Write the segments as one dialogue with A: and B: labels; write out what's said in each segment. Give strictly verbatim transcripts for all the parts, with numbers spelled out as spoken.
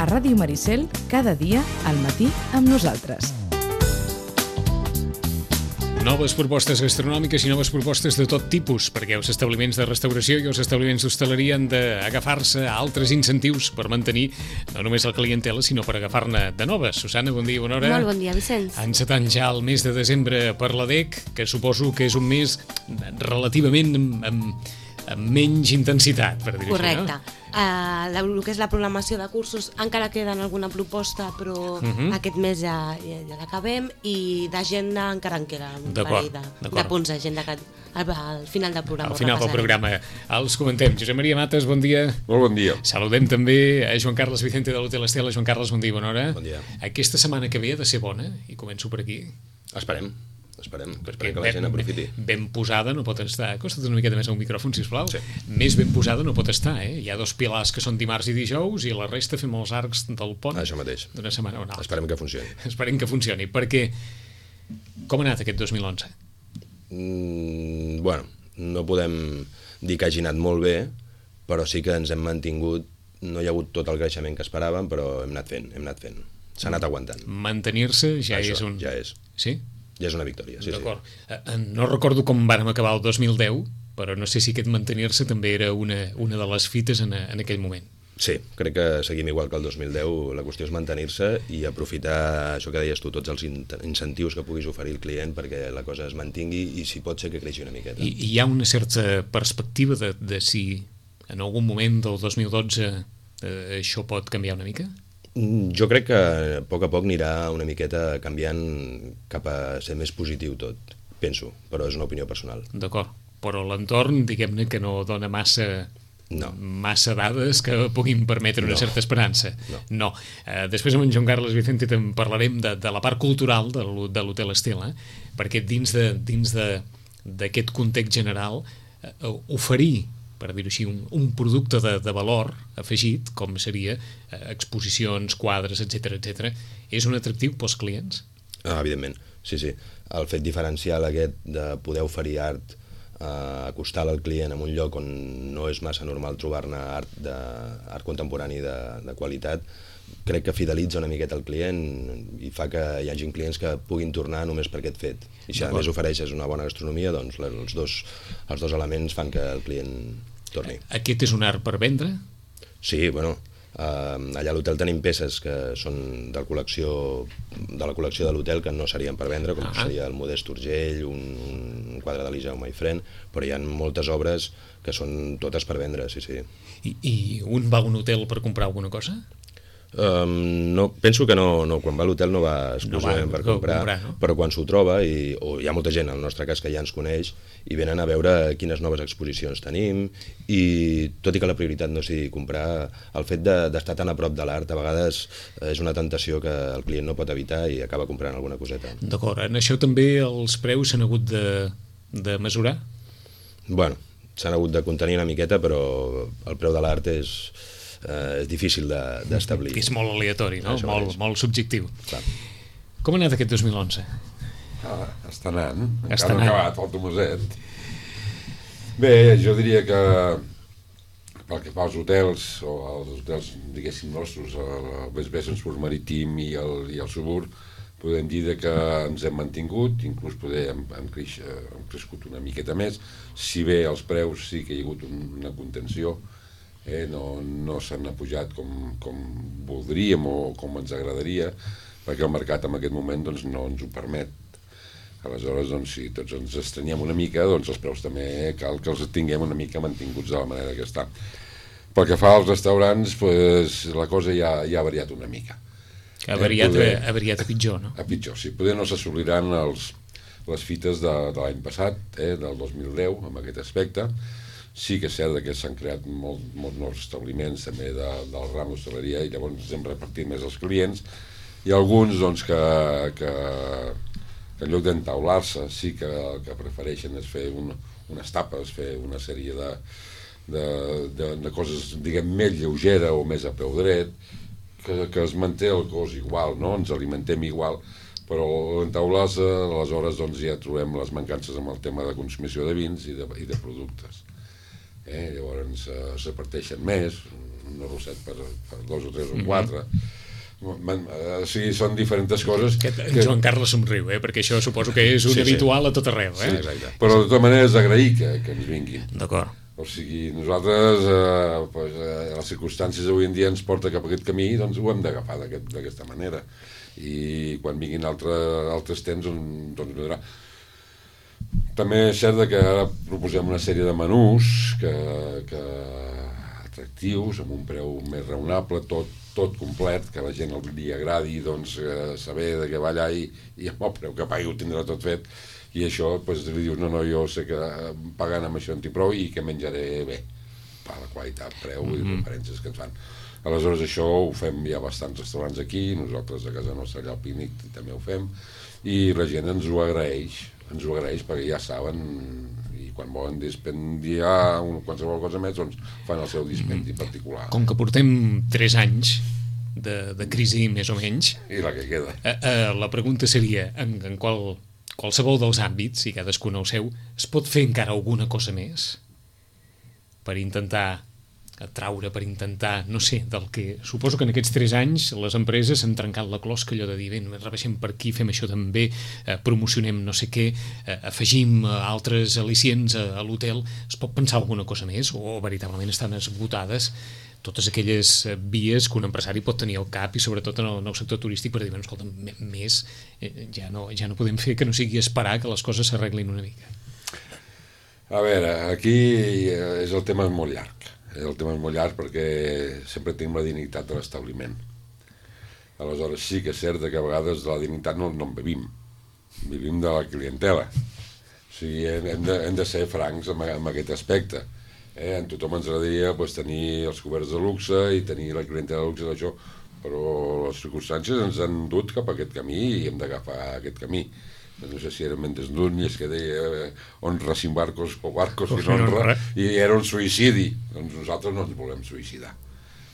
A: Ràdio Maricel, cada dia al matí amb nosaltres.
B: Noves propostes gastronòmiques i noves propostes de tot tipus, perquè els establiments de restauració i els establiments d'hostaleria han d'agafar-se a altres incentius per mantenir no només la clientela, sinó per agafar-ne de noves. Susana, bon dia, bona hora.
C: Molt bon dia, Vicenç.
B: Encetant ja el mes de desembre per la D E C, que suposo que és un mes relativament amb, amb, amb menys intensitat, per dir-ho així, no?
C: Correcte. Uh, la, el que és la programació de cursos encara queda en alguna proposta, però uh-huh. aquest mes ja, ja, ja l'acabem, i d'agenda encara en queda un parell de, de punts d'agenda que al, al final del programa.
B: Al final del programa els comentem. Josep Maria Mates, bon dia.
D: Molt bon dia.
B: Saludem també a Joan Carles Vicente de l'Hotel Estela. Joan Carles, bon dia, bona hora.
D: Bon dia.
B: Aquesta setmana que ve ha de ser bona, i començo per aquí.
D: Esperem. Esperem, esperem que la gent aprofiti.
B: Ben posada no pot estar. Acosta't una miqueta més al micròfon, sisplau.
D: Sí.
B: Més ben posada no pot estar, eh? Hi ha dos pilars que són dimarts i dijous i la resta fem els arcs del pont.
D: Això mateix.
B: D'una setmana a una altra.
D: Esperem que funcioni.
B: Esperem que funcioni, perquè com ha anat aquest dos mil onze?
D: Mm, bueno, no podem dir que hagi anat molt bé, però sí que ens hem mantingut. No hi ha hagut tot el creixement que esperàvem, però hem anat fent, hem anat fent. S'ha anat aguantant.
B: Mantenir-se ja
D: Això,
B: és un...
D: ja és.
B: Sí?
D: Ja és una victòria, sí,
B: D'acord. sí. No recordo com vàrem acabar el dos mil deu, però no sé si aquest mantenir-se també era una, una de les fites en, en aquell moment.
D: Sí, crec que seguim igual que el dos mil deu. La qüestió és mantenir-se i aprofitar això que deies tu, tots els incentius que puguis oferir al client perquè la cosa es mantingui i si pot ser que creixi una miqueta.
B: I, i hi ha una certa perspectiva de, de si en algun moment del dos mil dotze eh, això pot canviar una mica?
D: Jo crec que a poc a poc anirà una miqueta canviant cap a ser més positiu tot, penso, però és una opinió personal.
B: D'acord, però l'entorn, diguem-ne que no dona massa,
D: no.
B: massa dades que puguin permetre una
D: no.
B: certa esperança.
D: No.
B: no. Uh, després amb en Joan Carles Vicente en parlarem de, de la part cultural de l'Hotel Estela, perquè dins de dins de, d'aquest context general uh, oferir, per dir-ho així, un, un producte de, de valor afegit, com seria eh, exposicions, quadres, etcètera, etcètera, és un atractiu pels clients?
D: Ah, evidentment, sí, sí. El fet diferencial aquest de poder oferir art, eh, acostar al client en un lloc on no és massa normal trobar-ne art, de, art contemporani de, de qualitat, crec que fidelitza una miqueta el client i fa que hi hagi clients que puguin tornar només per aquest fet. I si a més ofereixes una bona gastronomia, doncs els dos, els dos elements fan que el client torni.
B: Aquest és un art per vendre?
D: Sí, bueno, eh, allà a l'hotel tenim peces que són de la col·lecció de la col·lecció de l'hotel que no serien per vendre, com ah. seria el Modest Urgell, un, un quadre de l'Ija My Friend, però hi ha moltes obres que són totes per vendre, sí, sí.
B: I, i un va a un hotel per comprar alguna cosa?
D: Um, no, penso que no, no, quan va a l'hotel no va exclusivament no va, per comprar, comprar no? Però quan s'ho troba, i, o hi ha molta gent, en el nostre cas, que ja ens coneix, i venen a veure quines noves exposicions tenim, i tot i que la prioritat no sigui comprar, el fet d'estar de, tan a prop de l'art, a vegades és una tentació que el client no pot evitar i acaba comprant alguna coseta.
B: D'acord, en això també els preus s'han hagut de, de mesurar?
D: Bueno, s'han hagut de contenir una miqueta, però el preu de l'art és... Uh, és difícil d'establir.
B: De, és molt aleatori, no? Molt, molt subjectiu.
D: Clar.
B: Com ha anat aquest dos mil onze?
E: Ah, està anant,
B: està
E: encara no ha acabat el Tomaset. Bé, jo diria que pel que fa als hotels, o als hotels, diguéssim, nostres, el B S B Transport Marítim i el, i el Subur, podem dir que ens hem mantingut, inclús poder hem, hem, creix, hem crescut una miqueta més, si bé els preus sí que hi ha hagut una contenció, Eh, no, no s'han pujat com, com voldríem o com ens agradaria, perquè el mercat en aquest moment doncs, no ens ho permet. Aleshores, doncs, si tots ens estrenyem una mica, doncs els preus també cal que els tinguem una mica mantinguts de la manera que està. Pel que fa als restaurants, pues, la cosa ja, ja ha variat una mica.
B: Ha variat, eh, poder, ha variat a pitjor, no?
E: A pitjor, sí. Poder no s'assoliran els, les fites de, de l'any passat, eh, del dos mil deu, amb aquest aspecte. Sí que és cert que s'han creat molt, molts nous establiments també de, del ram d'hostaleria i llavors ens hem repartit més els clients i alguns doncs, que, que, que en lloc d'entaular-se sí que el que prefereixen és fer un, unes tapes, fer una sèrie de, de, de, de coses diguem més lleugera o més a peu dret, que, que es manté el cos igual, no? Ens alimentem igual, però entaular-se aleshores doncs, ja trobem les mancances amb el tema de consumició de vins i de, i de productes. eh? Llavors eh, se parteixen més, un arrosset per, per dos o tres o quatre. Mm-hmm. O sigui, són diferents coses.
B: Que... Joan Carles somriu, eh? Perquè això suposo que és un sí, habitual sí. a tot arreu. Eh?
E: Sí, però de tota manera és d'agrair que, que ens vinguin.
B: D'acord.
E: O sigui, nosaltres, eh, pues, eh, les circumstàncies avui en dia ens porta cap a aquest camí, doncs ho hem d'agafar d'aquesta aquest, manera. I quan vinguin altre, altres temps, doncs vindrà. També és cert que ara proposem una sèrie de menús que, que atractius, amb un preu més raonable, tot, tot complet, que la gent el dia agradi, doncs, eh, saber de què va allà i, i amb el preu que pagui ho tindrà tot fet. I això, doncs, li dius, no, no, jo sé que pagant amb això en tinc prou i que menjaré bé, per la qualitat, preu mm-hmm. i referències que ens fan. Aleshores, això ho fem, hi ha bastants restaurants aquí, nosaltres a casa nostra allà al Pínic també ho fem, i la gent ens ho agraeix, ens ho agraeix perquè ja saben, i quan volen dispendiar un, qualsevol cosa més, doncs fan el seu dispendi mm-hmm. particular.
B: Com que portem tres anys de, de crisi, més o menys...
E: I la que queda.
B: Eh, eh, la pregunta seria, en, en qual... qualsevol dels àmbits, i cadascun el seu, es pot fer encara alguna cosa més per intentar atraure, per intentar, no sé, del que... Suposo que en aquests tres anys les empreses han trencat la closca, allò de dir, bé, rebaixem per aquí, fem això també, eh, promocionem no sé què, eh, afegim eh, altres al·licients a, a l'hotel. Es pot pensar alguna cosa més o veritablement estan esgotades totes aquelles vies que un empresari pot tenir al cap i sobretot en el, en el sector turístic per dir, bueno, escolta, més eh, ja, no, ja no podem fer que no sigui esperar que les coses s'arreglin una mica.
E: A veure, aquí és el tema molt llarg. El tema és molt llarg perquè sempre tenim la dignitat de l'establiment. Aleshores sí que és cert que a vegades de la dignitat no, no en vivim. Vivim de la clientela. O sigui, hem de, hem de ser francs en, en aquest aspecte. Eh, en tothom ens agradaria pues, tenir els coberts de luxe i tenir la clientela de luxe d'això, però les circumstàncies ens han dut cap a aquest camí i hem d'agafar aquest camí. No sé si era Mendes Núñez que deia eh, honra sin barcos o barcos sin honra, i era un suïcidi. Doncs nosaltres no ens volem suïcidar.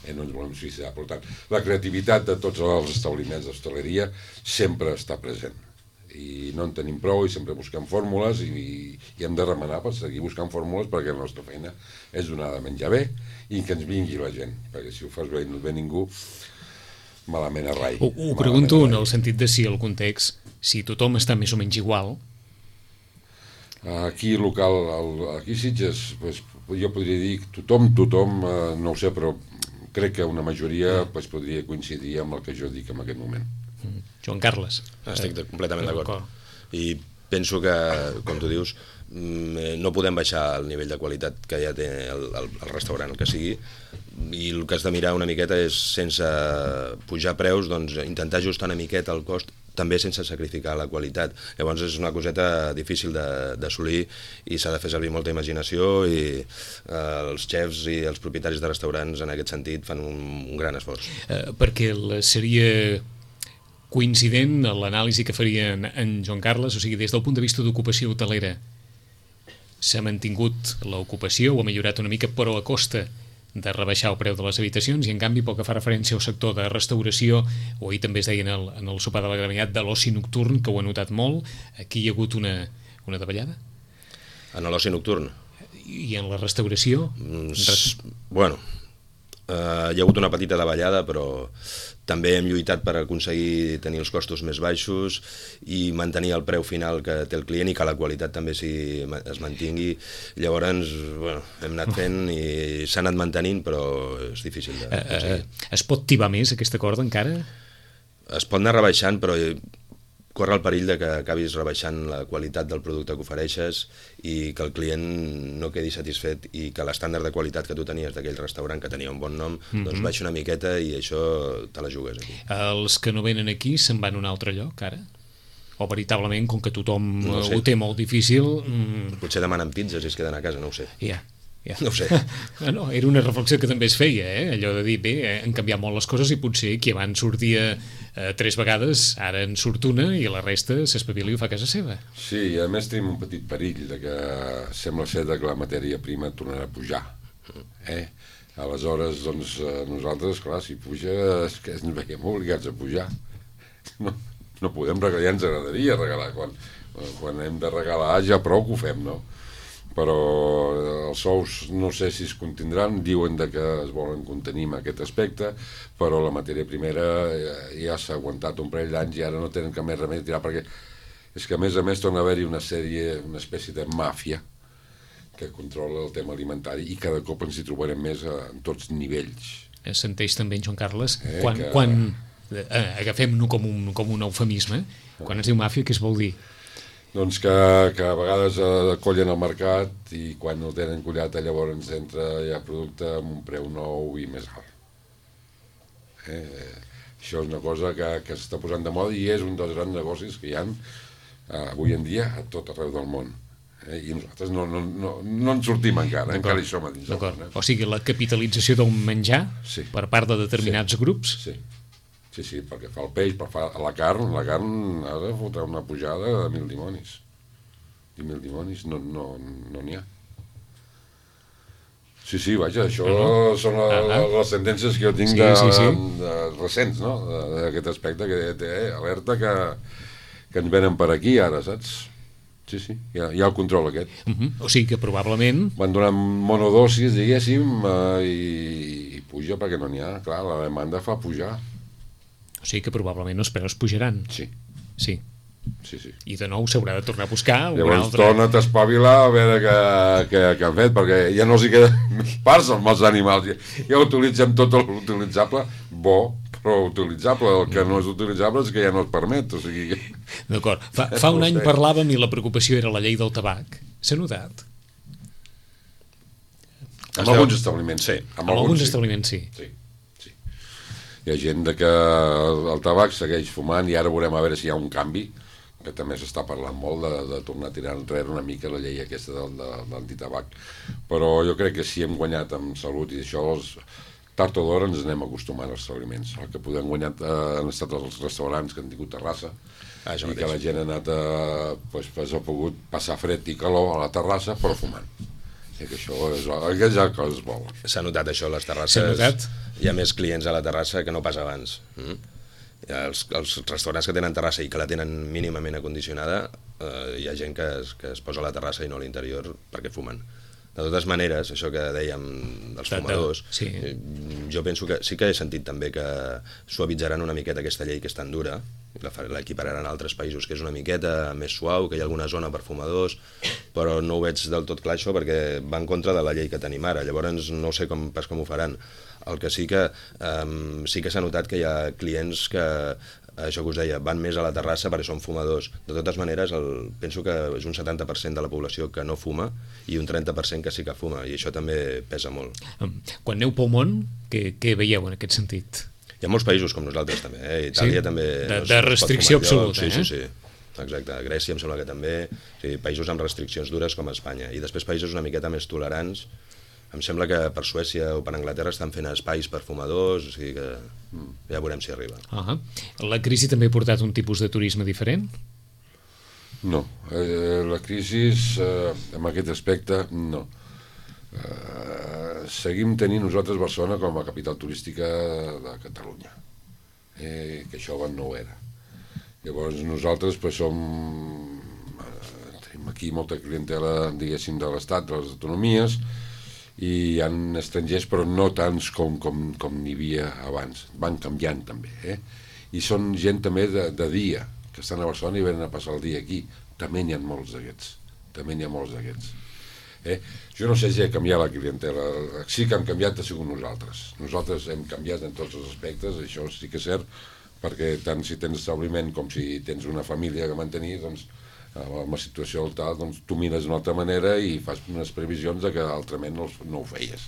E: Eh, no ens volem suïcidar. Per tant, la creativitat de tots els establiments d'hostaleria sempre està present. I no en tenim prou i sempre busquem fórmules i, i hem de remenar per seguir buscant fórmules perquè la nostra feina és donar de menjar bé i que ens vingui la gent, perquè si ho fas bé i no et ve ningú, malament a rai.
B: Ho, ho pregunto en el sentit de si el context, si tothom està més o menys igual.
E: Aquí local, aquí Sitges, pues, jo podria dir tothom, tothom, eh, no ho sé, però crec que una majoria pues, podria coincidir amb el que jo dic en aquest moment.
B: Joan Carles.
D: Estic de, completament d'acord. I penso que, com tu dius, no podem baixar el nivell de qualitat que ja té el, el, el restaurant, el que sigui, i el que has de mirar una miqueta és, sense pujar preus, doncs intentar ajustar una miqueta el cost, també sense sacrificar la qualitat. Llavors és una coseta difícil d'assolir i s'ha de fer servir molta imaginació i eh, els xefs i els propietaris de restaurants en aquest sentit fan un, un gran esforç.
B: Eh, perquè seria coincident l'anàlisi que faria en, en Joan Carles, o sigui, des del punt de vista d'ocupació hotelera s'ha mantingut l'ocupació o ha millorat una mica, però a costa de rebaixar el preu de les habitacions, i en canvi pel que fa referència al sector de restauració, o ahir també es deia en el, en el sopar de la Gramenet, de l'oci nocturn, que ho he notat molt, aquí hi ha hagut una, una davallada?
D: En l'oci nocturn?
B: I en la restauració?
D: Mm, res... Bueno, eh, hi ha hagut una petita davallada, però també hem lluitat per aconseguir tenir els costos més baixos i mantenir el preu final que té el client i que la qualitat també si es mantingui. Llavors, bueno, hem anat fent i s'ha anat mantenint, però és difícil d'aconseguir.
B: Eh, es pot tibar més aquesta corda encara?
D: Es pot anar rebaixant, però corre el perill de que acabis rebaixant la qualitat del producte que ofereixes i que el client no quedi satisfet i que l'estàndard de qualitat que tu tenies d'aquell restaurant que tenia un bon nom, mm-hmm. doncs baixa una miqueta i això te la jugues aquí.
B: Els que no venen aquí se'n van a un altre lloc ara? O veritablement, com que tothom no
D: sé.
B: Ho té molt difícil... Mm...
D: Potser demanen pizzas i es queden a casa, no ho sé.
B: Ja. Yeah. Ja.
D: No ho sé.
B: No, era una reflexió que també es feia, eh? Allò de dir, bé, han canviat molt les coses i potser qui abans sortia eh, tres vegades, ara en surt una i la resta s'espavila i ho fa a casa seva.
E: Sí, i a més tenim un petit perill de que sembla ser que la matèria prima tornarà a pujar. Eh? Aleshores, doncs, nosaltres, clar, si puja, és que ens veiem obligats a pujar. No, no podem regalar, ja ens agradaria regalar. Quan, quan hem de regalar ja prou que ho fem, no? però els sous no sé si es contindran, diuen de que es volen contenir en aquest aspecte, però la matèria primera ja s'ha aguantat un parell d'anys i ara no tenen cap més remei de tirar, perquè és que a més a més torna a haver-hi una sèrie, una espècie de màfia que controla el tema alimentari i cada cop ens hi trobarem més en tots nivells.
B: Senteix també, Joan Carles,
E: eh,
B: quan,
E: que...
B: quan eh, agafem-no com un, com un eufemisme, quan es diu màfia, què es vol dir?
E: Doncs que, que a vegades eh, collen el mercat i quan el tenen collat llavors entra ja producte amb un preu nou i més alt. Eh, això és una cosa que, que s'està posant de moda i és un dels grans negocis que hi ha eh, avui en dia a tot arreu del món. Eh, i nosaltres no, no, no, no en sortim encara, encara hi som a dins.
B: Eh? O sigui, la capitalització d'un menjar
E: sí.
B: per part de determinats
E: sí.
B: grups?
E: Sí. Sí, sí, perquè fa el peix, per fa la carn, la carn ha de fotre una pujada de mil dimonis. I mil dimonis no n'hi no, no ha. Sí, sí, vaja, això no, no. són la, ah, ah. les sentències que jo tinc sí, de, sí, sí. De, de recents, no?, d'aquest aspecte que té eh, alerta que, que ens venen per aquí ara, saps? Sí, sí, hi ha, hi ha el control aquest.
B: Uh -huh. O sigui que probablement...
E: Van donant monodosis, diguéssim, eh, i, i puja perquè no n'hi ha. Clar, la demanda fa pujar.
B: O sigui que probablement els preus pujaran.
E: Sí.
B: Sí.
E: Sí, sí.
B: I de nou s'haurà de tornar a buscar un
E: Llavors
B: altre...
E: torna't a espavilar a veure què, què, què han fet, perquè ja no els hi queden més parts amb els animals. Ja, ja utilitzem tot l'utilitzable, bo, però utilitzable. El que no és utilitzable és que ja no es permet. O sigui...
B: D'acord. Fa, fa un any parlàvem i la preocupació era la llei del tabac. S'ha notat?
E: Amb alguns establiments, sí.
B: Amb alguns establiments, sí.
E: Sí. Hi ha gent de que el tabac segueix fumant i ara veurem a veure si hi ha un canvi, que també s'està parlant molt de, de tornar a tirar enrere una mica la llei aquesta de, de, de l'antitabac. Però jo crec que si hem guanyat amb salut i això, els, tard o d'hora ens anem acostumant als establiments. El que podem guanyar eh, han estat els restaurants que han tingut terrassa, ah, i que la gent ha anat a, pues, pues, ha pogut passar fred i calor a la terrassa però fumant. I que això és, és el que es vol.
D: S'ha notat això, les terrasses.
B: S'ha notat?
D: Hi ha més clients a la terrassa que no pas abans. Mm? Els, els restaurants que tenen terrassa i que la tenen mínimament acondicionada, eh, hi ha gent que es, que es posa a la terrassa i no a l'interior perquè fumen. De totes maneres, això que dèiem dels fumadors,
B: sí.
D: Jo penso que sí que he sentit també que suavitzaran una miqueta aquesta llei que és tan dura, l'equipararan a altres països, que és una miqueta més suau, que hi ha alguna zona per fumadors, però no ho veig del tot clar això perquè va en contra de la llei que tenim ara, llavors no sé com, pas com ho faran. El que sí que um, sí que s'ha notat que hi ha clients que, això que us deia, van més a la terrassa perquè són fumadors. De totes maneres, el, penso que és un setanta per cent de la població que no fuma i un trenta per cent que sí que fuma, i això també pesa molt.
B: Quan aneu pel món, què, què veieu en aquest sentit?
D: Hi ha molts països com nosaltres també, eh? Itàlia sí? també...
B: De, no de restricció absoluta,
D: sí,
B: eh?
D: Sí, sí, sí. Exacte, Grècia em sembla que també, sí, països amb restriccions dures com Espanya, i després països una miqueta més tolerants. Em sembla que per Suècia o per Anglaterra estan fent espais per fumadors, o sigui que ja veurem si arriba.
B: Uh-huh. La crisi també ha portat un tipus de turisme diferent?
E: No, eh, la crisi eh, en aquest aspecte no. Eh, seguim tenint nosaltres Barcelona com a capital turística de Catalunya, eh, que això abans no ho era. Llavors nosaltres pues, som eh, tenim aquí molta clientela, diguéssim, de l'Estat, de les autonomies, i hi ha estrangers però no tants com, com, com n'hi havia abans, van canviant també, eh? I són gent també de, de dia, que estan a Barcelona i venen a passar el dia aquí, també n'hi ha molts d'aquests, també n'hi ha molts d'aquests. Eh? Jo no sé si ha canviat la clientela, sí que hem canviat ha sigut nosaltres, nosaltres hem canviat en tots els aspectes, això sí que és cert, perquè tant si tens establiment com si tens una família que mantenir, doncs amb la situació tal, doncs tu mires d'una altra manera i fas unes previsions de que altrament no, no ho feies.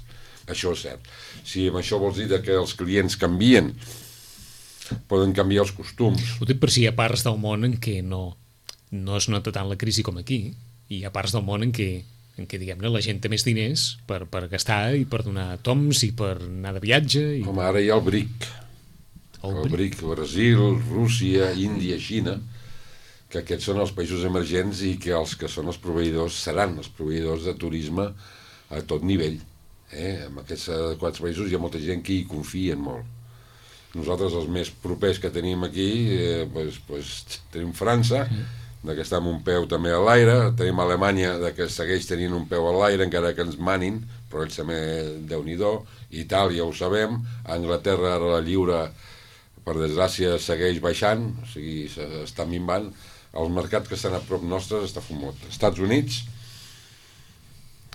E: Això és cert. Si amb això vols dir que els clients canvien, poden canviar els costums.
B: Ho dic per si hi ha parts del món en què no, no es nota tant la crisi com aquí, i hi ha parts del món en què, en què diguem-ne, la gent té més diners per, per gastar i per donar toms i per anar de viatge. I...
E: Com ara hi ha el BRIC. El, el BRIC, Brasil, Rússia, Índia, Xina, que aquests són els països emergents i que els que són els proveïdors seran els proveïdors de turisme a tot nivell. Eh? En aquests quatre països hi ha molta gent que hi confien molt. Nosaltres els més propers que tenim aquí, eh, pues, pues, tenim França, de que està amb un peu també a l'aire, tenim Alemanya de que segueix tenint un peu a l'aire encara que ens manin, però ells també Déu-n'hi-do, Itàlia ho sabem, Anglaterra ara la lliure per desgràcia segueix baixant, o sigui, està minvant, el mercat que estan a prop nostres està fumot. Estats Units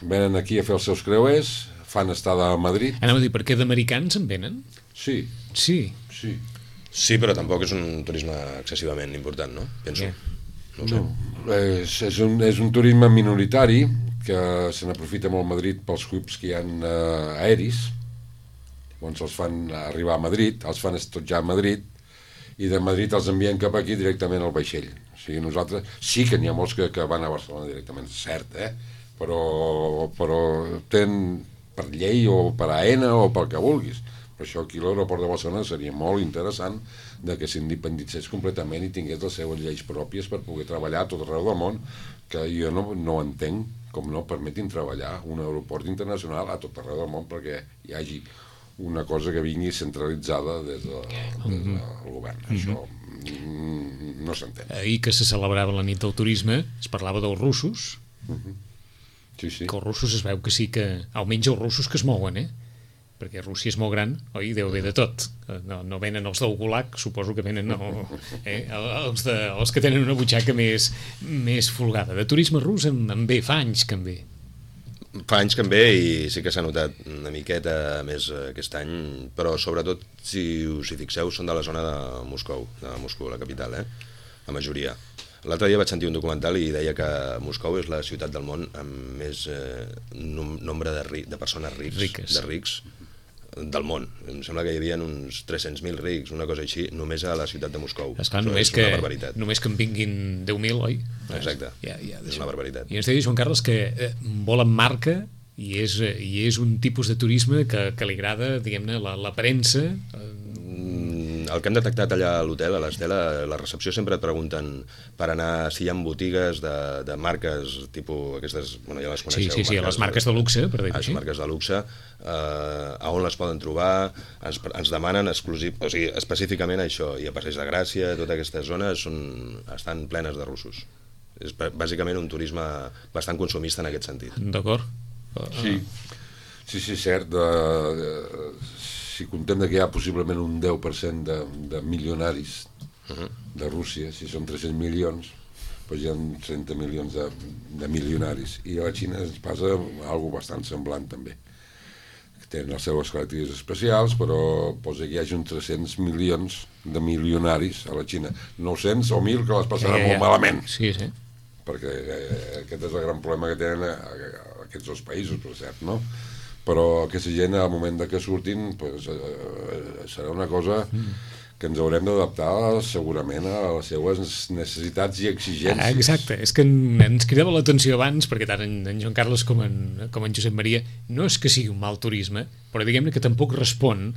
E: venen aquí a fer els seus creuers, fan estada a Madrid.
B: Anava a dir, per què d'americans en venen?
E: Sí.
B: Sí.
E: Sí.
D: Sí, però tampoc és un turisme excessivament important, no? Penso.
B: Yeah.
D: No ho sé.
E: No. És, és, un, és un turisme minoritari que se n'aprofita molt Madrid pels hubs que hi ha eh, aeris. Llavors els fan arribar a Madrid, els fan estotjar a Madrid i de Madrid els envien cap aquí directament al vaixell. O sigui, nosaltres sí que n'hi ha molts que, que van a Barcelona directament, cert, eh? Però, però tenen per llei o per A N A o pel que vulguis. Per això aquí l'aeroport de Barcelona seria molt interessant de que s'independitzés completament i tingués les seues lleis pròpies per poder treballar a tot arreu del món, que jo no, no entenc com no permetin treballar un aeroport internacional a tot arreu del món perquè hi hagi una cosa que vingui centralitzada des, de, des del govern. Mm-hmm. Això mm, no s'entén.
B: Ahir que se celebrava la nit del turisme es parlava dels russos.
E: Mm-hmm. Sí, sí.
B: Que els russos es veu que sí que, almenys els russos que es mouen, eh? Perquè Rússia és molt gran, oi? Deu haver de tot. No, no venen els del Gulag, suposo que venen no, eh? els, de, els que tenen una butxaca més, més folgada. De turisme rus en, en ve, fa anys que en ve.
D: Fa anys que en ve i sí que s'ha notat una miqueta més aquest any, però sobretot, si us hi fixeu, són de la zona de Moscou, de Moscou, la capital, eh? La majoria. L'altre dia vaig sentir un documental i deia que Moscou és la ciutat del món amb més eh, nombre de, ri, de persones rics,
B: riques.
D: de rics del món. Em sembla que hi havia uns tres-cents mil rics, una cosa així, només a la ciutat de Moscou.
B: Esclar, només,
D: és
B: que,
D: una barbaritat.
B: Només que en vinguin deu mil, oi?
D: Exacte,
B: ja, ja,
D: és una barbaritat.
B: I ens deia Joan Carles que eh, volen marca i és, i és un tipus de turisme que, que li agrada, diguem-ne, la, la premsa. Eh,
D: El que hem detectat allà a l'hotel, a l'Estela, a la recepció sempre et pregunten per anar si hi ha botigues de, de marques tipus aquestes, bueno, ja les coneixeu.
B: Sí, sí, sí, les marques de luxe, per dir-ho així.
D: Les marques de luxe, eh, a on les poden trobar, ens, ens demanen exclusiv, o sigui, específicament això, i a Passeig de Gràcia, totes aquestes zones són, estan plenes de russos. És bàsicament un turisme bastant consumista en aquest sentit.
B: D'acord.
E: Sí, sí, sí, cert, de, de, si contem que hi ha possiblement un deu per cent de, de milionaris uh-huh. de Rússia, si són tres-cents milions, doncs hi ha trenta milions de, de milionaris. I a la Xina ens passa alguna bastant semblant també. Tenen les seves característiques especials, però posa que hi hagi uns tres-cents milions de milionaris a la Xina. nou-cents o mil que les passaran eh, molt malament.
B: Sí, sí.
E: Perquè eh, aquest és el gran problema que tenen a, a aquests dos països, per cert, no? Però aquesta gent al moment de que surtin pues, eh, serà una cosa que ens haurem d'adaptar segurament a les seues necessitats i exigències.
B: Ah, exacte, és que ens cridava l'atenció abans, perquè tant en, en Joan Carles com en, com en Josep Maria no és que sigui un mal turisme, però diguem-ne que tampoc respon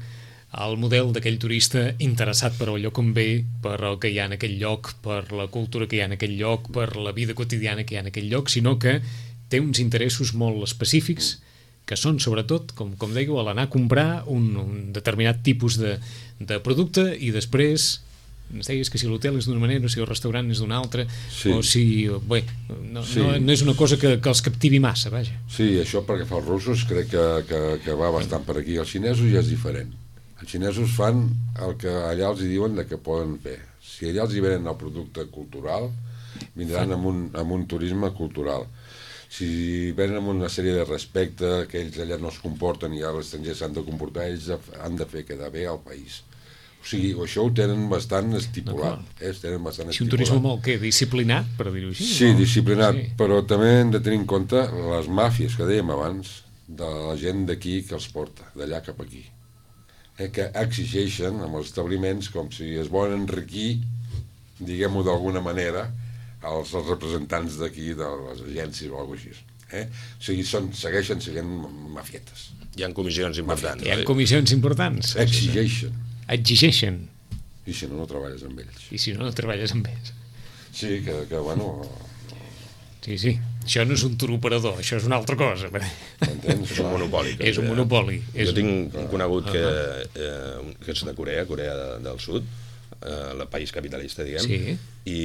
B: al model d'aquell turista interessat per el lloc on ve, per el que hi ha en aquell lloc, per la cultura que hi ha en aquell lloc, per la vida quotidiana que hi ha en aquell lloc, sinó que té uns interessos molt específics que són, sobretot, com, com dèieu, a l'anar a comprar un, un determinat tipus de, de producte i després ens deies que si l'hotel és d'una manera o si el restaurant és d'una altra
E: sí.
B: o si... Bé, no,
E: sí.
B: no, no és una cosa que, que els captivi massa, vaja.
E: Sí, això perquè fa els russos crec que, que, que va bastant per aquí. Els xinesos ja és diferent. Els xinesos fan el que allà els diuen de que poden fer. Si allà els hi venen el producte cultural, vindran amb un, amb un turisme cultural. Si venen amb una sèrie de respecte, que ells allà no es comporten i a l'estranger s'han de comportar, ells han de fer quedar bé al país. O sigui, això ho tenen bastant estipulat. Eh? Tenen bastant
B: si un turisme molt, què, disciplinat, per dir-ho així?
E: Sí, no? disciplinat,
B: sí.
E: Però també hem de tenir en compte les màfies que dèiem abans, de la gent d'aquí que els porta, d'allà cap aquí. Eh, que exigeixen amb els establiments com si es volen enriquir, diguem-ho d'alguna manera, els, els representants d'aquí, de les agències o alguna cosa així. Eh? O sigui, són, segueixen sent mafietes.
D: Hi ha comissions importants.
B: Hi ha comissions importants.
E: Exigeixen.
B: Exigeixen.
E: I si no, no treballes amb ells.
B: I si no, no treballes amb ells.
E: Sí, que, que bueno...
B: Sí, sí. Això no és un tour-operador, això és una altra cosa.
E: M'entens?
D: És un monopoli.
B: És un monopoli.
D: Jo tinc un conegut que, eh, que és de Corea, Corea de, del Sud, eh, el país capitalista, diguem,
B: sí.
D: i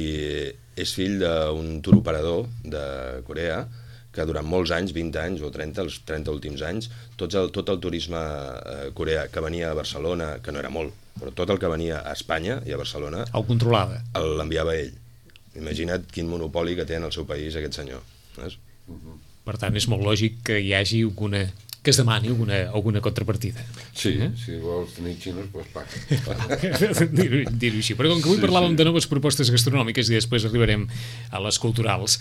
D: és fill d'un turoperador de Corea que durant molts anys, vint anys o trenta, els trenta últims anys, tot el, tot el turisme eh, coreà que venia a Barcelona, que no era molt, però tot el que venia a Espanya i a Barcelona...
B: El controlava.
D: L'enviava ell. Imagina't quin monopoli que té en el seu país aquest senyor. Saps?
B: Uh-huh. Per tant, és molt lògic que hi hagi alguna... que es demani alguna, alguna contrapartida.
E: Sí, eh? Si vols tenir xinos, doncs paga.
B: Dir-ho dir així. Però com que avui sí, parlàvem sí. de noves propostes gastronòmiques i després arribarem a les culturals,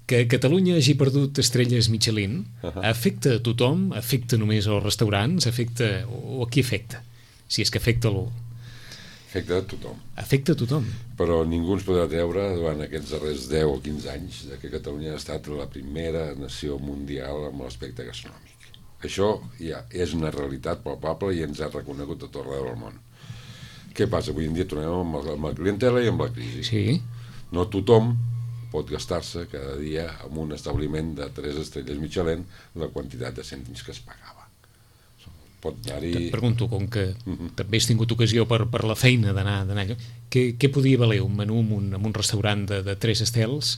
B: que Catalunya hagi perdut estrelles Michelin, uh-huh. afecta a tothom? Afecta només als restaurants? Afecta... o a qui afecta? Si és que afecta algú.
E: Afecta a tothom.
B: Afecta a tothom.
E: Però ningú ens podrà treure durant aquests darrers deu o quinze anys de que Catalunya ha estat la primera nació mundial amb l'aspecte gastronòmic. Això ja és una realitat palpable i ens ha reconegut a tot arreu del món. Què passa? Avui en dia tornem amb la, amb la clientela i amb la crisi.
B: Sí.
E: No tothom pot gastar-se cada dia en un establiment de tres estrelles Michelin la quantitat de cèntims que es pagava. Pot anar-hi...
B: Et pregunto, com que uh-huh. també has tingut ocasió per, per la feina d'anar allò, què, què podia valer un menú en un, en un restaurant de, de tres estels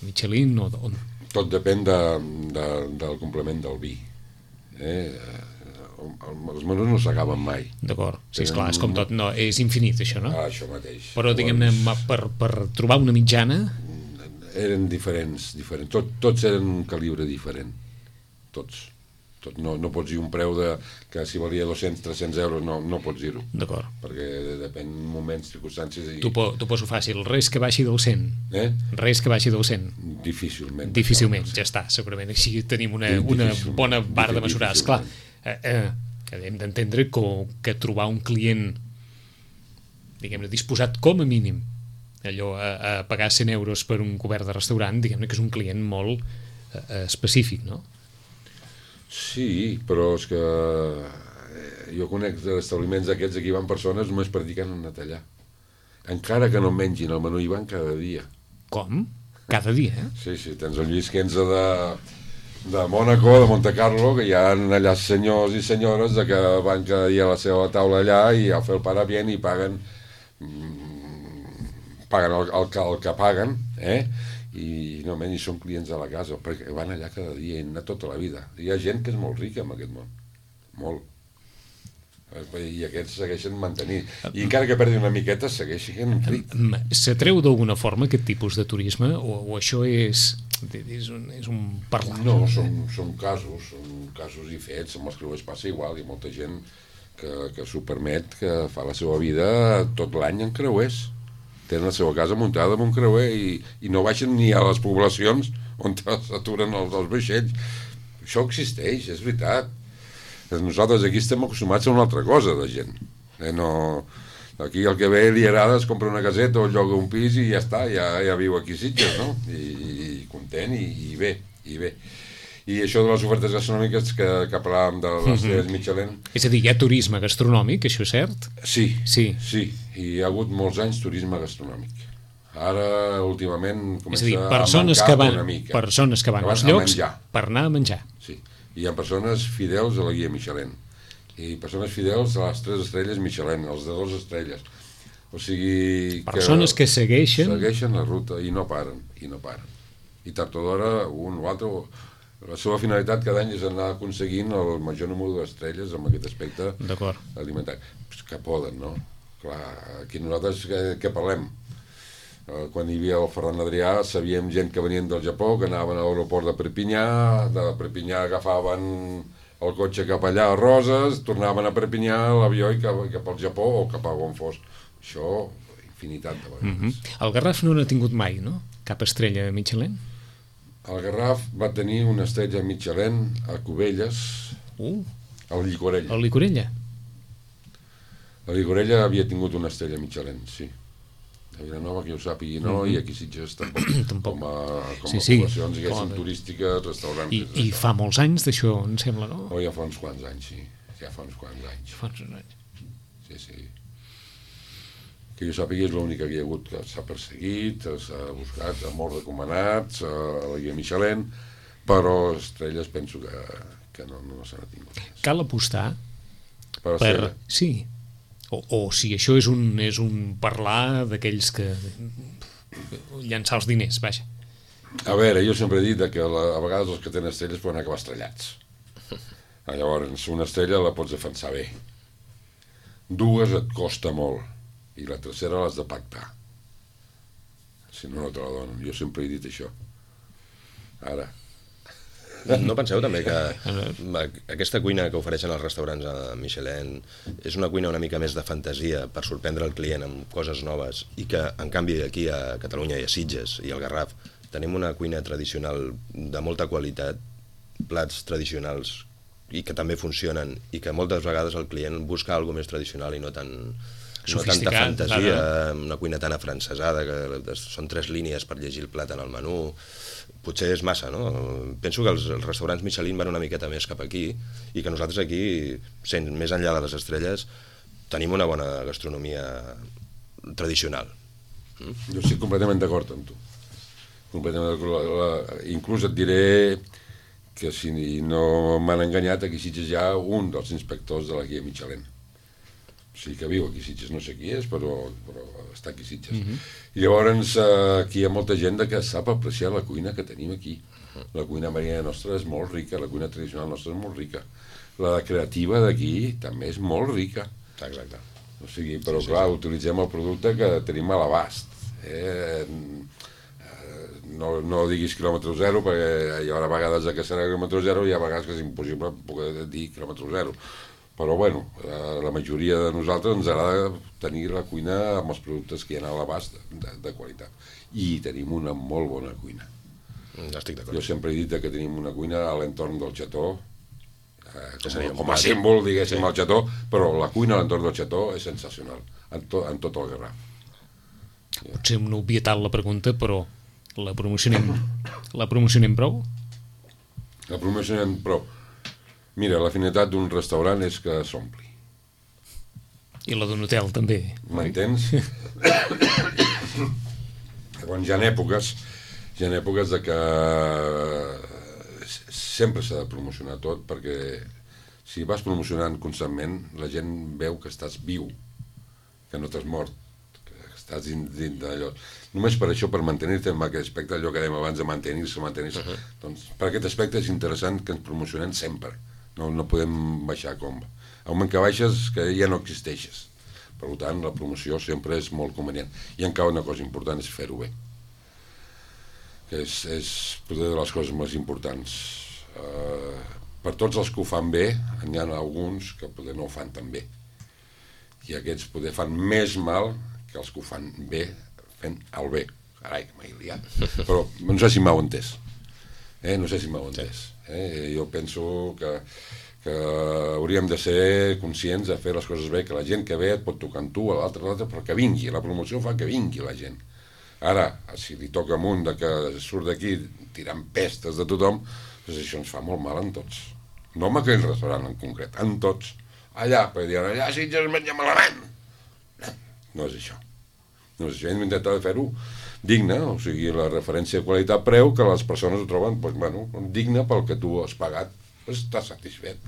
B: Michelin o... o...
E: Tot depèn de, de, del complement del vi. Eh, els menús no s'acaben mai.
B: D'acord, sí, esclar, és com tot, no, és infinit això, no?
E: Ah, això mateix.
B: Però diguem-ne, per, per trobar una mitjana...
E: Eren diferents, diferents. Tot, tots eren un calibre diferent, tots. Tot, no, no pots dir un preu de, que si valia dos-cents, tres-cents euros, no, no pots dir-ho.
B: D'acord.
E: Perquè depèn moments, circumstàncies... I...
B: T'ho po, poso fàcil, res que baixi del cent.
E: Eh?
B: Res que baixi del cent.
E: Difícilment.
B: Difícilment, ja està, segurament. Així tenim una, una bona barra de mesurar. Esclar, eh, eh, hem d'entendre que, que trobar un client, diguem-ne, disposat com a mínim allò a, a pagar cent euros per un cobert de restaurant, diguem-ne que és un client molt eh, específic, no?
E: Sí, però és que jo conec establiments d'aquests, aquí van persones només practicant en tallar. Encara que no mengin el menú, hi van cada dia.
B: Com? Cada dia, eh?
E: Sí, sí, tens el Lluís Quenza de, de Mònaco, de Monte Carlo, que hi ha allà senyors i senyores de que van cada dia a la seva taula allà i a fer el para bien i paguen paguen el, el, el que paguen, eh? I no menys són clients de la casa, perquè van allà cada dia i anar tota la vida. Hi ha gent que és molt rica en aquest món, molt. I aquests segueixen mantenint. I encara que perdi una miqueta, segueixen rics.
B: S'atreu d'alguna forma aquest tipus de turisme o, o això és, és, un, és un parlar?
E: No, són, són casos, són casos i fets, amb els creuers passa igual, hi ha molta gent que, que s'ho permet, que fa la seva vida tot l'any en creuers. Tenen la seva casa muntada amb un creuer i, i no baixen ni a les poblacions on s'aturen els, els vaixells. Això existeix, és veritat. Nosaltres aquí estem acostumats a una altra cosa de gent. Eh, no... Aquí el que ve li agrada es compra una caseta o lloga un pis i ja està, ja, ja viu aquí a Sitges, no? I, i content i, i bé, i bé. I això de les ofertes gastronòmiques que, que parlàvem de les estrelles mm-hmm. Michelin...
B: És a dir, hi ha turisme gastronòmic, això és cert?
E: Sí,
B: sí,
E: sí, i hi ha hagut molts anys turisme gastronòmic. Ara, últimament, comença
B: dir,
E: a mancar
B: que van,
E: una mica.
B: Persones que van als llocs per anar a menjar.
E: Sí, i hi ha persones fidels a la guia Michelin, i persones fidels a les tres estrelles Michelin, als de dues estrelles. O sigui...
B: Persones que, que segueixen...
E: Segueixen la ruta i no paren, i no paren. I tard o d'hora, un o altre... La seva finalitat cada any és anar aconseguint el major número d'estrelles amb aquest aspecte alimentari. Pues que poden, no? Clar, aquí nosaltres què, què parlem? Eh, quan hi havia el Ferran Adrià sabíem gent que venien del Japó, que anaven a l'aeroport de Perpinyà, de Perpinyà agafaven el cotxe cap allà a Roses, tornaven a Perpinyà a l'avió i cap, cap al Japó o cap a on fos. Això, infinitat de vegades.
B: Mm-hmm. El Garraf no n'ha tingut mai, no? Cap estrella Michelin?
E: El Garraf va tenir una estrella Michelin a Cubelles,
B: uh,
E: al Llicorella.
B: Al Llicorella?
E: A Llicorella havia tingut una estrella Michelin, sí. A Vilanova, que jo sàpigui, no, mm-hmm. i aquí Sitges tampoc.
B: tampoc.
E: Com a, com
B: sí,
E: a
B: sí.
E: poblacions, diguéssim, turístiques, restaurants...
B: I, I fa molts anys d'això, em sembla, no?
E: Oh, ja fa uns quants anys, sí. Ja fa uns quants anys.
B: Fa uns anys.
E: Sí, sí. Que jo sàpigui és l'única que hi ha hagut que s'ha perseguit, s'ha buscat, a molts recomanats, a la guia Michelin, però estrelles penso que, que no, no se n'ha tingut.
B: Cal apostar
E: per...
B: per sí, o, o si això és un, és un parlar d'aquells que llançar els diners, vaja.
E: A veure, jo sempre he dit que la, a vegades els que tenen estrelles poden acabar estrellats. Llavors, una estrella la pots defensar bé. Dues et costa molt, i la tercera l'has de pactar. Si no, no te la donen. Jo sempre he dit això. Ara.
D: No penseu també que aquesta cuina que ofereixen els restaurants a Michelin és una cuina una mica més de fantasia per sorprendre el client amb coses noves, i que en canvi aquí a Catalunya i a Sitges i al Garraf tenim una cuina tradicional de molta qualitat, plats tradicionals i que també funcionen, i que moltes vegades el client busca alguna més tradicional i no tan no tanta fantasia, una cuina tan afrancesada que són tres línies per llegir el plat en el menú. Potser és massa, no? Penso que els, els restaurants Michelin van una miqueta més cap aquí, i que nosaltres aquí, sent més enllà de les estrelles, tenim una bona gastronomia tradicional.
E: Mm? Jo estic completament d'acord amb tu. Completament d'acord. Inclús et diré que si no m'han enganyat, aquí a Sitges hi ha un dels inspectors de la guia Michelin. O sigui que viu aquí a Sitges, no sé qui és, però, però està aquí a Sitges. Mm-hmm. I llavors aquí hi ha molta gent que sap apreciar la cuina que tenim aquí. La cuina marina nostra és molt rica, la cuina tradicional nostra és molt rica. La creativa d'aquí també és molt rica.
D: Exacte.
E: O sigui, però sí, sí, clar, sí. Utilitzem el producte que tenim a l'abast. Eh? No, no diguis quilòmetre zero, perquè hi haurà vegades que serà quilòmetre zero i hi ha vegades que és impossible poder dir quilòmetre zero. Però bueno, la majoria de nosaltres ens agrada tenir la cuina amb els productes que hi ha a l'abast de, de qualitat. I tenim una molt bona cuina.
D: Estic d'acord.
E: Jo sempre he dit que tenim una cuina a l'entorn del Xató, eh, com, com a símbol, diguéssim, sí. Al Xató, però la cuina a l'entorn del Xató és sensacional, en, to, en tot el Garraf.
B: Potser una obvietat la pregunta, però la promocionem, la promocionem prou?
E: La promocionem prou. Mira, la finalitat d'un restaurant és que s'ompli.
B: I la d'un hotel, també.
E: M'entens? Llavors, hi ha èpoques, hi ha èpoques de que sempre s'ha de promocionar tot, perquè si vas promocionant constantment, la gent veu que estàs viu, que no t'has mort, que estàs dins, dins d'allò. Només per això, per mantenir-te en aquest aspecte, allò que dèiem abans de mantenir-se, mantenir-se, uh-huh. Doncs per aquest aspecte és interessant que ens promocionem sempre. No, no podem baixar com... Al moment que baixes, que ja no existeixes. Per tant, la promoció sempre és molt convenient. I encara una cosa important és fer-ho bé. Que és, és potser de les coses més importants. Uh, per tots els que ho fan bé, n'hi ha alguns que potser no ho fan tan bé. I aquests potser fan més mal que els que ho fan bé fent el bé. Carai, que m'he liat. Però no sé si m'heu entès. Eh? No sé si m'heu entès. Eh? Jo penso que, que hauríem de ser conscients de fer les coses bé, que la gent que ve et pot tocar amb tu, a l'altre, a l'altre, però que vingui. La promoció fa que vingui la gent. Ara, si li toca amunt de que surt d'aquí tirant pestes de tothom, doncs això ens fa molt mal en tots. No en aquell restaurant en concret, en tots. Allà, perquè diuen, allà sí ja es menja malament. No, no és això. No és això, hem d'intentar fer-ho digne, o sigui, la referència de qualitat-preu, que les persones ho troben, doncs, bueno, digne pel que tu has pagat, doncs estàs satisfet.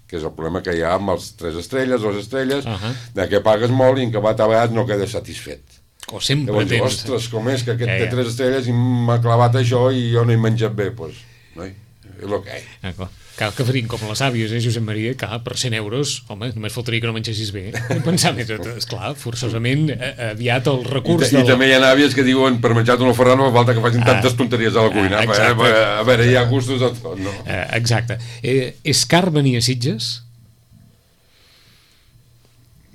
E: Que és el problema que hi ha amb els tres estrelles, dues estrelles, uh-huh. De que pagues molt i en acabat a vegades no quedes satisfet.
B: O sempre
E: llavors,
B: tens...
E: Ostres, com és que aquest eh, té tres estrelles i m'ha clavat això i jo no he menjat bé, doncs, noi, és el que hi ha.
B: D'acord. Cal que faríem com les àvies, eh, Josep Maria, que per cent euros, home, només faltaria que no mengessis bé. Pensar més, esclar, forçosament, aviat el recurs...
E: I, del... I també hi ha àvies que diuen, per menjar un ofernat no fa falta que facin tantes ah, tonteries a la cuina. Ah, a, a veure, hi ha gustos de tot, no?
B: Ah, exacte. Eh, és car venir a Sitges?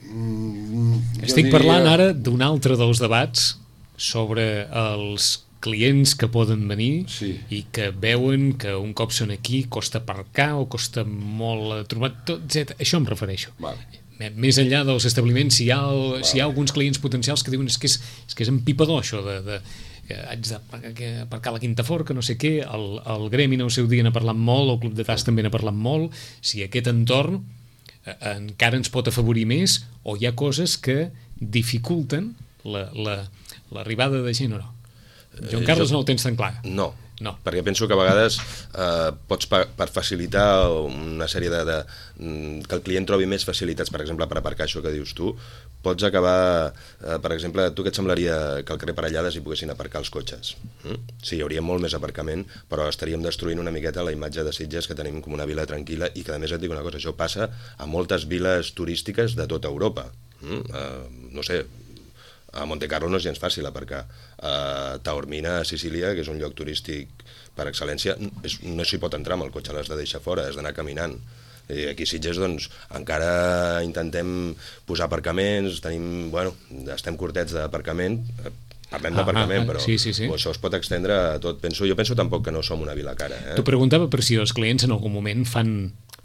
B: Mm, Estic diria... parlant ara d'un altre dels debats sobre els clients que poden venir
E: sí.
B: I que veuen que un cop són aquí costa aparcar o costa molt trobar tot, etcètera. Això em refereixo.
E: Vale.
B: Més enllà dels establiments, si hi ha, el, vale. Si hi ha alguns clients potencials que diuen és que és, és, que és empipador això de, de que haig d'aparcar a la Quinta Fort, que no sé què, el, el Gremi en el seu dia n'ha parlat molt, el Club de Tas també n'ha parlat molt, si aquest entorn eh, encara ens pot afavorir més o hi ha coses que dificulten la, la, l'arribada de gent o no. Joan Carles jo, no ho tens tan clar.
D: No,
B: No.
D: Perquè penso que a vegades eh, pots, per, per facilitar una sèrie de, de... que el client trobi més facilitats, per exemple, per aparcar això que dius tu, pots acabar... Eh, per exemple, tu què et semblaria que al carrer Parellades hi poguessin aparcar els cotxes? Mm? Sí, hi hauria molt més aparcament, però estaríem destruint una miqueta la imatge de Sitges, que tenim com una vila tranquil·la, i que a més et dic una cosa, això passa a moltes viles turístiques de tota Europa. Mm? Eh, no sé... A Monte Carlo no és gens fàcil aparcar. A Taormina, a Sicília, que és un lloc turístic per excel·lència, és, no s'hi pot entrar amb el cotxe, l'has de deixar fora, has d'anar caminant. I aquí a Sitges, doncs, encara intentem posar aparcaments, tenim, bueno, estem curtets d'aparcament, parlem d'aparcament, ah, ah, però
B: sí, sí, sí.
D: això es pot estendre a tot. Penso, jo penso tampoc que no som una vila cara. Eh?
B: T'ho preguntava per si els clients en algun moment fan,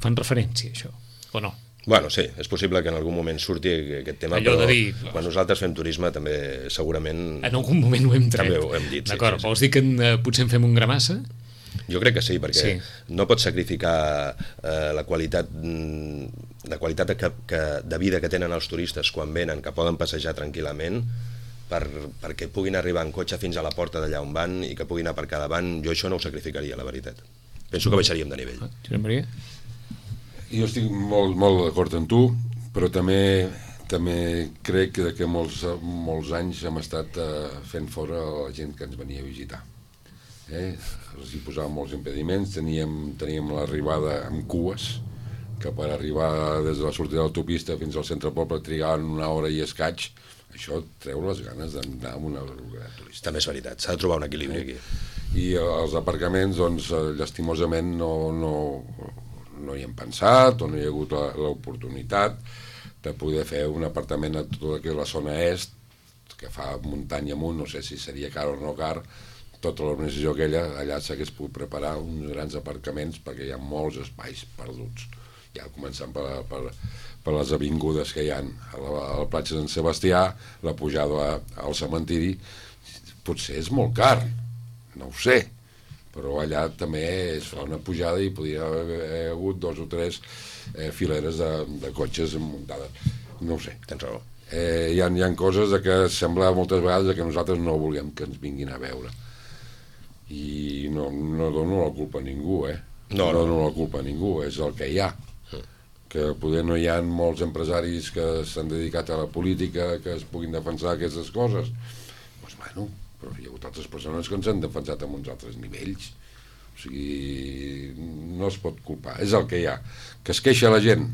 B: fan referència a això, o no?
D: Bueno, sí, és possible que en algun moment surti aquest tema,
B: allò
D: però
B: de dir,
D: quan nosaltres fem turisme també segurament...
B: En algun moment ho hem tret.
D: També ho hem dit.
B: D'acord,
D: sí, sí,
B: vols dir que en, eh, potser en fem un gra massa?
D: Jo crec que sí, perquè
B: sí.
D: no pots sacrificar eh, la qualitat, la qualitat de, que, de vida que tenen els turistes quan venen, que poden passejar tranquil·lament, per, perquè puguin arribar en cotxe fins a la porta d'allà on van i que puguin aparcar davant. Jo això no ho sacrificaria, la veritat. Penso que baixaríem de nivell.
B: Ah, Josep Maria?
E: Jo estic molt, molt d'acord amb tu, però també també crec que d'aquí molts, molts anys hem estat eh, fent fora la gent que ens venia a visitar. Eh? Els hi posàvem molts impediments, teníem, teníem l'arribada amb cues, que per arribar des de la sortida de l'autopista fins al centre del poble trigaven una hora i escaig. Això treu les ganes d'anar a una localitat turística.
D: També és veritat, s'ha de trobar un equilibri aquí.
E: I els aparcaments, doncs, llastimosament no... no no hi hem pensat o no hi ha hagut l'oportunitat de poder fer un apartament a tota la zona est, que fa muntanya amunt, no sé si seria car o no car, tota l'organització aquella, allà s'hagués pogut preparar uns grans aparcaments perquè hi ha molts espais perduts, ja començant per, per, per les avingudes que hi ha a la, a la platja de Sant Sebastià, la pujada al cementiri, potser és molt car, no ho sé, però allà també es fa una pujada i podria haver hagut dos o tres eh, fileres de, de cotxes muntades. No ho sé.
D: Tens raó.
E: Eh, hi, ha, hi ha coses de que sembla moltes vegades que nosaltres no volem que ens vinguin a veure. I no, no dono la culpa a ningú, eh? No, no dono la culpa a ningú, és el que hi ha. Que poder no hi ha molts empresaris que s'han dedicat a la política que es puguin defensar aquestes coses. Doncs bueno... però hi ha hagut altres persones que ens han defensat a uns altres nivells. O sigui, no es pot culpar. És el que hi ha. Que es queixa la gent,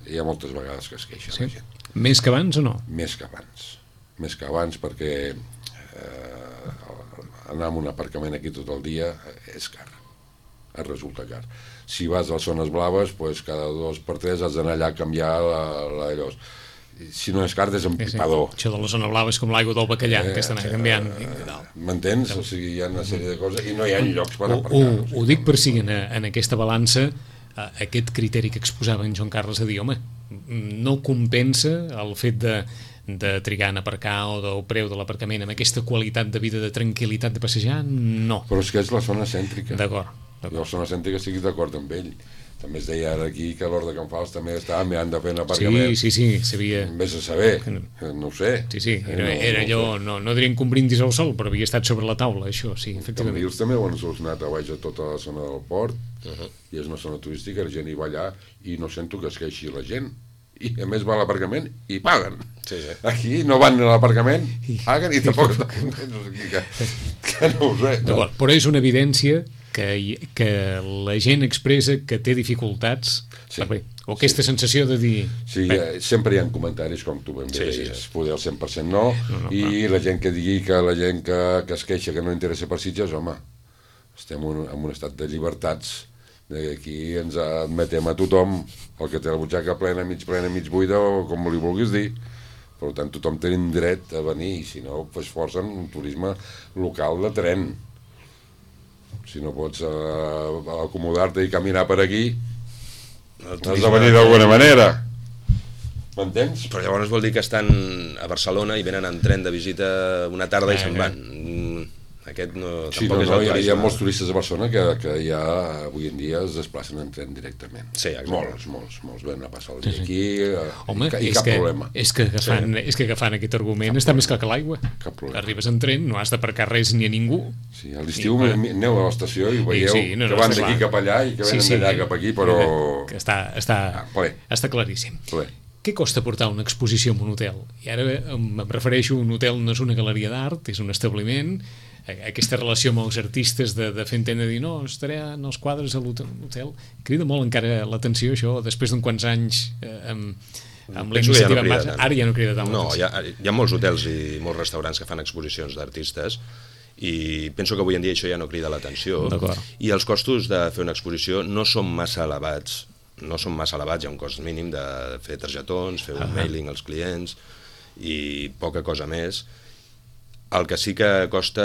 E: hi ha moltes vegades que es queixa sí. la gent.
B: Més que abans o no?
E: Més que abans. Més que abans perquè eh, anar a un aparcament aquí tot el dia és car. Es resulta car. Si vas a les zones blaves, pues cada dos per tres has d'anar allà a canviar la, la d'allò. Si no és car, és empipador.
B: Sí, sí. Això de la zona blava és com l'aigua del bacallà, eh, que estan eh, canviant.
E: M'entens? O sigui, hi ha una sèrie de coses i no hi ha llocs per aparcar.
B: Ho, ho, ho dic per si en, en aquesta balança eh, aquest criteri que exposava en Joan Carles de dir, home, no compensa el fet de, de trigar en aparcar o del preu de l'aparcament amb aquesta qualitat de vida, de tranquil·litat de passejar, no.
E: Però és que és la zona cèntrica.
B: D'acord.
E: Jo a la zona cèntrica estic d'acord amb ell. També es deia ara aquí que l'Hort de Can Fals també estava mirant de fer un aparcament.
B: Sí, sí, sí, sabia.
E: Vés a saber, no ho sé.
B: Sí, sí, era, era allò, no, no dirien que un brindis al sol, però havia estat sobre la taula, això, sí, efectivament.
E: Cambrils també ho han solucionat a baix a tota la zona del port, uh-huh. i és una zona turística, la gent hi va allà i no sento que es queixi la gent. I a més va a l'aparcament i paguen.
D: Sí, sí.
E: Aquí no van a l'aparcament, paguen i tampoc... no sé, que, que no ho sé. No?
B: Però és una evidència que, que la gent expressa que té dificultats, sí. per, o aquesta sí. sensació de dir...
E: Sí, eh, sempre hi ha comentaris, com tu ben bé sí, deies, sí. poder al cent per cent no, no, no i no. La gent que digui que la gent que, que es queixa que no interessa per Sitges, home, estem un, en un estat de llibertats, aquí ens admetem a tothom, el que té la butxaca plena, mig plena, mig buida, o com li vulguis dir. Per tant, tothom té dret a venir, i si no, pues forcen un turisme local de tren. Si no pots uh, acomodar-te i caminar per aquí, has de venir d'alguna manera. M'entens?
D: Però llavors vol dir que estan a Barcelona i venen en tren de visita una tarda i se'n van. Aquest no,
E: sí,
D: tampoc
E: no,
D: és
E: no,
D: el
E: hi ha,
D: turisme.
E: hi ha molts turistes de Barcelona que, que ja avui en dia es desplacen en tren directament.
D: Sí, exacte.
E: Molts, molts, molts ven a passar el dia
B: Sí, sí.
E: aquí eh,
B: Home,
E: i, i
B: és
E: cap
B: que,
E: problema.
B: És que, agafant, sí. és que agafant aquest argument
E: Cap
B: està
E: problema.
B: més clar que l'aigua.
E: Cap problema.
B: Arribes en tren, no has d'aparcar res ni a ningú.
E: Sí, a l'estiu
B: I,
E: aneu a l'estació i veieu
B: sí, no, no,
E: que van
B: està
E: d'aquí
B: clar.
E: cap allà i que
B: Sí,
E: venen
B: sí.
E: d'allà cap aquí, però...
B: Que està, està,
E: Ah, ple.
B: està claríssim.
E: Ple.
B: Què costa portar una exposició en un hotel? I ara em, em refereixo, un hotel no és una galeria d'art, és un establiment. Aquesta relació amb els artistes de, de fer entendre dir no, estaré en els quadres a l'hotel, crida molt encara l'atenció això, després d'uns quants anys eh, amb, amb la iniciativa en marxa, ara ja no crida tant
D: no, hi
B: l'atenció.
D: ha, hi ha molts hotels i molts restaurants que fan exposicions d'artistes i penso que avui en dia això ja no crida l'atenció, i els costos de fer una exposició no són massa elevats, no són massa elevats, hi ha un cost mínim de fer targetons, fer un uh-huh. mailing als clients i poca cosa més. El que sí que costa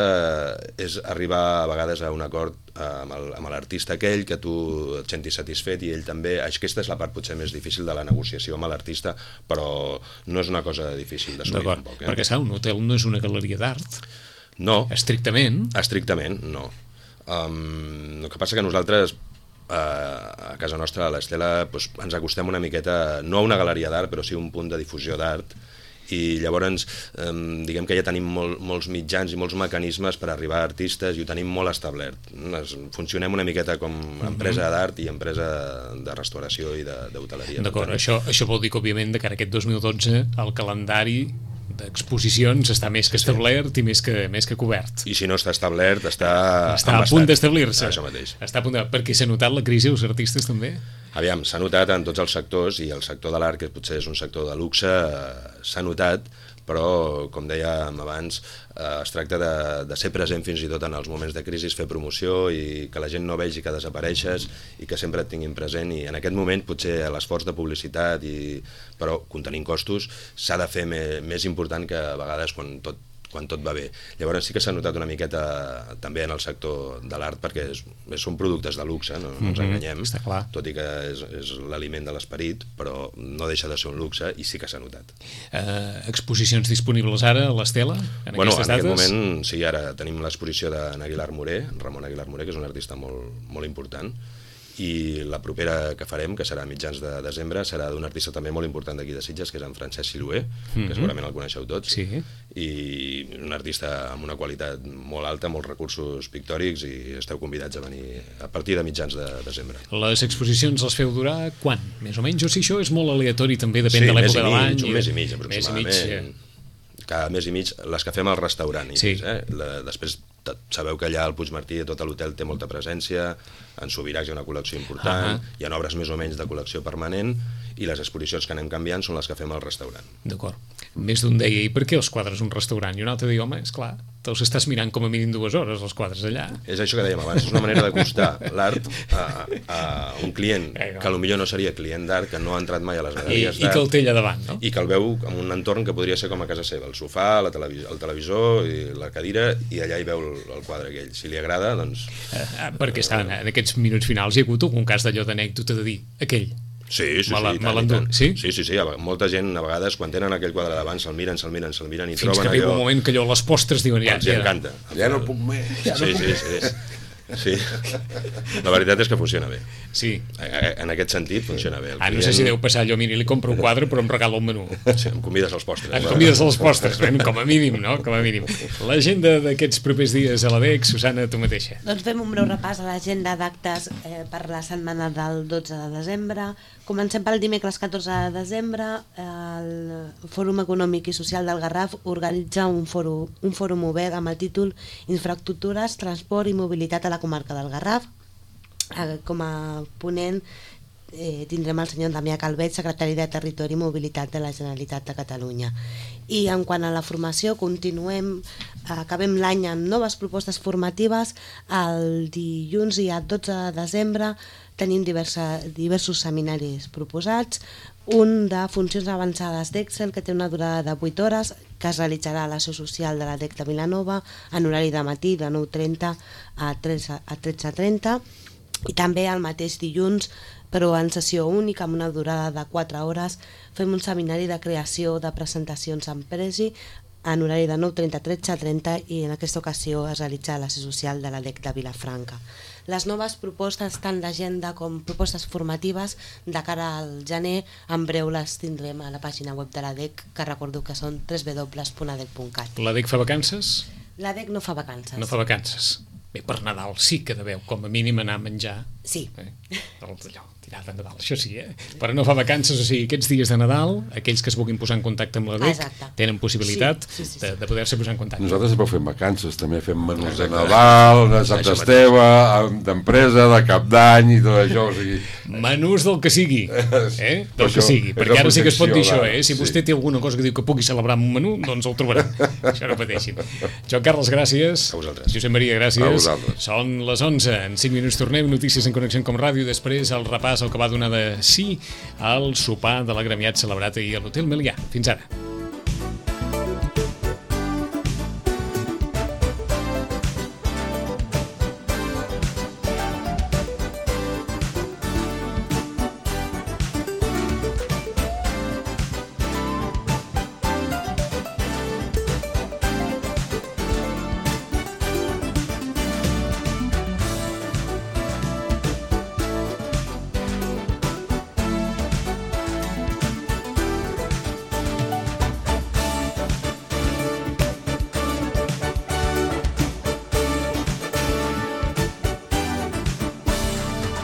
D: és arribar a vegades a un acord amb l'artista aquell, que tu et sentis satisfet i ell també. Aquesta és la part potser més difícil de la negociació amb l'artista, però no és una cosa difícil d'assolir tampoc. Eh?
B: Perquè, saps, un hotel no és una galeria d'art.
D: No.
B: Estrictament.
D: Estrictament, no. Um, el que passa que nosaltres uh, a casa nostra, a l'Estela, doncs, ens acostem una miqueta, no a una galeria d'art, però sí a un punt de difusió d'art, i llavors eh, diguem que ja tenim molt, molts mitjans i molts mecanismes per arribar a artistes i ho tenim molt establert. Funcionem una miqueta com empresa d'art i empresa de restauració i d'hoteleria.
B: D'acord, això, això vol dir que òbviament de cara a aquest dos mil dotze el calendari d'exposicions està més que establert sí. i més que, més que cobert.
D: I si no està establert, està
B: Està a punt d'establir-se.
D: Això mateix.
B: Està a punt de... Perquè s'ha notat la crisi als artistes també?
D: Aviam, s'ha notat en tots els sectors i el sector de l'art, que potser és un sector de luxe, s'ha notat, però, com dèiem abans, eh, es tracta de, de ser present fins i tot en els moments de crisi, fer promoció i que la gent no vegi que desapareixes i que sempre et tinguin present, i en aquest moment potser l'esforç de publicitat, i, però contenint costos, s'ha de fer més, més important que a vegades quan tot quan tot va bé. Llavors sí que s'ha notat una miqueta també en el sector de l'art, perquè és, són productes de luxe, no, no ens enganyem,
B: està clar.
D: Tot i que és, és l'aliment de l'esperit, però no deixa de ser un luxe i sí que s'ha notat.
B: Uh, exposicions disponibles ara a l'Estela, en
D: bueno,
B: aquestes
D: dates?
B: En
D: aquest moment, sí, ara tenim l'exposició d'en Aguilar Moré, Ramon Aguilar Moré, que és un artista molt, molt important, i la propera que farem, que serà a mitjans de desembre, serà d'un artista també molt important d'aquí de Sitges, que és en Francesc Silué, mm-hmm. que segurament el coneixeu tots,
B: sí.
D: i un artista amb una qualitat molt alta, molts recursos pictòrics, i esteu convidats a venir a partir de mitjans de desembre.
B: Les exposicions les feu durar quan? Més o menys? O si això és molt aleatori, també depèn
D: sí,
B: de l'època de l'any.
D: Sí, un mes i mig, aproximadament. Mes i mig, cada mes i mig, les que fem al restaurant.
B: Sí.
D: Eh? La, després sabeu que allà al Puigmartí tot l'hotel té molta presència, en Subirats hi ha una col·lecció important, uh-huh. hi ha obres més o menys de col·lecció permanent, i les exposicions que anem canviant són les que fem al restaurant.
B: D'acord. Més d'un deia, i per què els quadres un restaurant? I un altre deia, home, esclar, te'ls estàs mirant com a mínim dues hores, els quadres allà.
D: És això que dèiem abans, és una manera d'acostar l'art a, a un client que potser no seria client d'art, que no ha entrat mai a les galeries d'art.
B: I que el té allà davant, no?
D: I que el veu en un entorn que podria ser com a casa seva, el sofà, la televis el televisor, i la cadira, i allà hi veu el, el quadre aquell. Si li agrada, doncs...
B: Eh, perquè estan en aquests minuts finals hi ha hagut algun cas d'allò d'anècdota de dir, aquell...
D: Sí, sí,
B: me
D: sí,
B: tant, tant. Sí?
D: sí, sí, sí, molta gent a vegades quan tenen aquell quadre davant se'l miren, se'l miren, se'l miren i
B: fins
D: troben allò...
B: Fins que arriba un moment que allò a les postres diuen ja...
D: Els ja, encanta.
E: Ja no puc més.
D: Ja sí, no sí, sí, sí. Sí, la veritat és que funciona bé.
B: Sí.
D: En aquest sentit funciona bé.
B: Ah, no sé si deu passar allò, mira, li compro un quadre però em regala un menú.
D: Sí, em convides als postres.
B: Em convides als postres, ben, com a mínim, no? Com a mínim. L'agenda d'aquests propers dies a l'A D E C, Susana, tu mateixa.
C: Doncs fem un breu repàs a l'agenda d'actes eh, per la setmana del dotze de desembre. Comencem pel dimecres catorze de desembre. El Fòrum Econòmic i Social del Garraf organitza un fòrum, un fòrum obert amb el títol Infraestructures, Transport i Mobilitat a la comarca del Garraf. Eh, com a ponent eh, tindrem el senyor Damià Calvet, secretari de Territori i Mobilitat de la Generalitat de Catalunya. I en quant a la formació, continuem, acabem l'any amb noves propostes formatives. El dilluns i el dotze de desembre tenim diversa, diversos seminaris proposats, un de funcions avançades d'Excel que té una durada de vuit hores, que es realitzarà a la seu social de la D E C de Vilanova en horari de matí de nou trenta a tretze trenta, i també el mateix dilluns, però en sessió única amb una durada de quatre hores, fem un seminari de creació de presentacions en Prezi en horari de nou trenta a tretze trenta i en aquesta ocasió es realitza la sessió social de l'A D E C de Vilafranca. Les noves propostes, tant d'agenda com propostes formatives, de cara al gener, en breu les tindrem a la pàgina web de l'A D E C, que recordo que són w w w punt a d e c punt cat.
B: L'A D E C fa vacances?
C: L'A D E C no fa vacances.
B: No fa vacances. Bé, per Nadal sí que deveu, com a mínim, anar a menjar.
C: Sí.
B: Eh? Allò, tirar de Nadal, això sí, eh? Però no fa vacances, o sigui, aquests dies de Nadal, aquells que es vulguin posar en contacte amb l'A D E C
C: Exacte.
B: tenen possibilitat
C: sí, sí, sí, sí.
B: de, de poder-se posar en contacte.
E: Nosaltres sempre fem vacances, també fem menús de Nadal, de Sant Esteve, d'empresa, de Cap d'Any i tot això, o sigui...
B: Menús del que sigui, eh? Del
E: Això,
B: que sigui, perquè ara sí que es pot dir això, eh? Si
E: sí.
B: vostè té alguna cosa que diu que pugui celebrar amb un menú, doncs el trobarà. Això no pateixin. Joan Carles, gràcies.
D: A vosaltres.
B: Josep Maria, gràcies.
E: A vosaltres.
B: Són les onze, en cinc minuts tornem, notícies en Connexió com Ràdio, després el repàs, el que va donar de sí al sopar de l'agremiat celebrat ahir a l'Hotel Melià. Fins ara.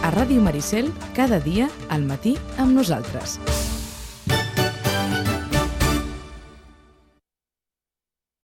A: A Ràdio Maricel, cada dia al matí amb nosaltres.